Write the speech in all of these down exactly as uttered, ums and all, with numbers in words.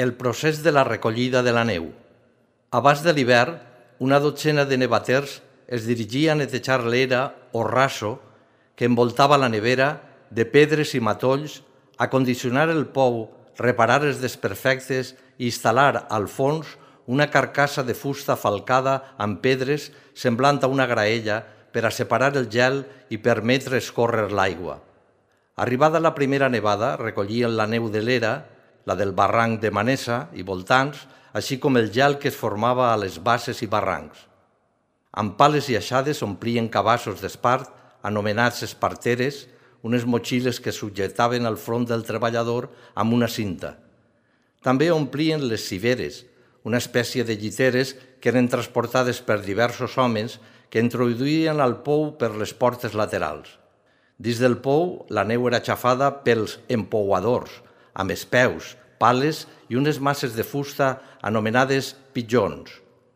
El procés de la recollida de la neu. Abans de l'hivern, una dotzena de nevaters es dirigia a netejar l'era o raso que envoltava la nevera de pedres i matolls, acondicionar el pou, reparar els desperfectes i instal·lar al fons una carcassa de fusta falcada amb pedres semblant a una graella per a separar el gel i permetre escórrer l'aigua. Arribada la primera nevada, recollien la neu de l'era, la del barranc de Manesa i voltants, així com el gel que es formava a les basses i barrancs. Amb pales i aixades omplien cabassos d'espart, anomenats esparteres, unes motxilles que subjetaven al front del treballador amb una cinta. També omplien les civeres, una espècie de lliteres que eren transportades per diversos homes que introduïen al pou per les portes laterals. Dins del pou, la neu era xafada pels empouadors, amb espeus, pales i unes masses de fusta anomenades pitjons,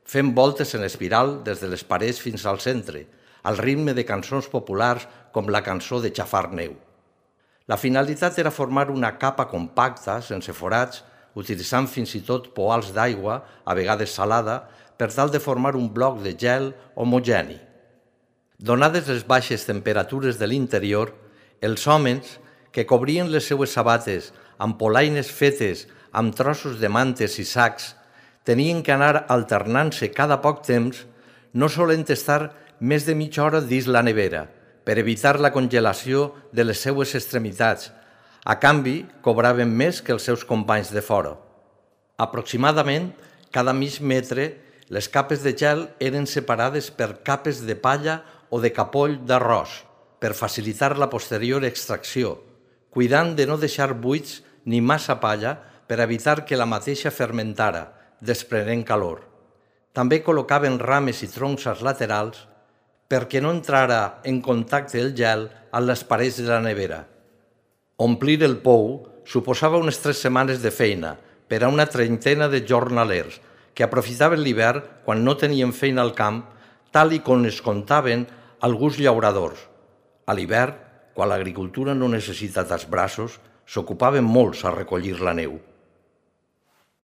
fent voltes en espiral des de les parets fins al centre, al ritme de cançons populars com la cançó de xafar neu. La finalitat era formar una capa compacta, sense forats, utilitzant fins i tot poals d'aigua, a vegades salada, per tal de formar un bloc de gel homogeni. Donades les baixes temperatures de l'interior, els homes, que cobrien les seues sabates amb polaines fetes amb trossos de mantes i sacs, tenien que anar alternant-se cada poc temps, no solent estar més de mitja hora dins la nevera, per evitar la congelació de les seues extremitats. A canvi, cobraven més que els seus companys de fora. Aproximadament, cada mig metre, les capes de gel eren separades per capes de palla o de capoll d'arròs, per facilitar la posterior extracció, cuidant de no deixar buits ni massa palla per evitar que la mateixa fermentara, desprenent calor. També col·locaven rames i troncs als laterals perquè no entrara en contacte el gel amb les parets de la nevera. Omplir el pou suposava unes tres setmanes de feina per a una trentena de jornalers que aprofitaven l'hivern quan no tenien feina al camp, tal i com es contaven alguns llauradors. A l'hivern, quan l'agricultura no necessita tants braços, s'ocupaven molts a recollir la neu.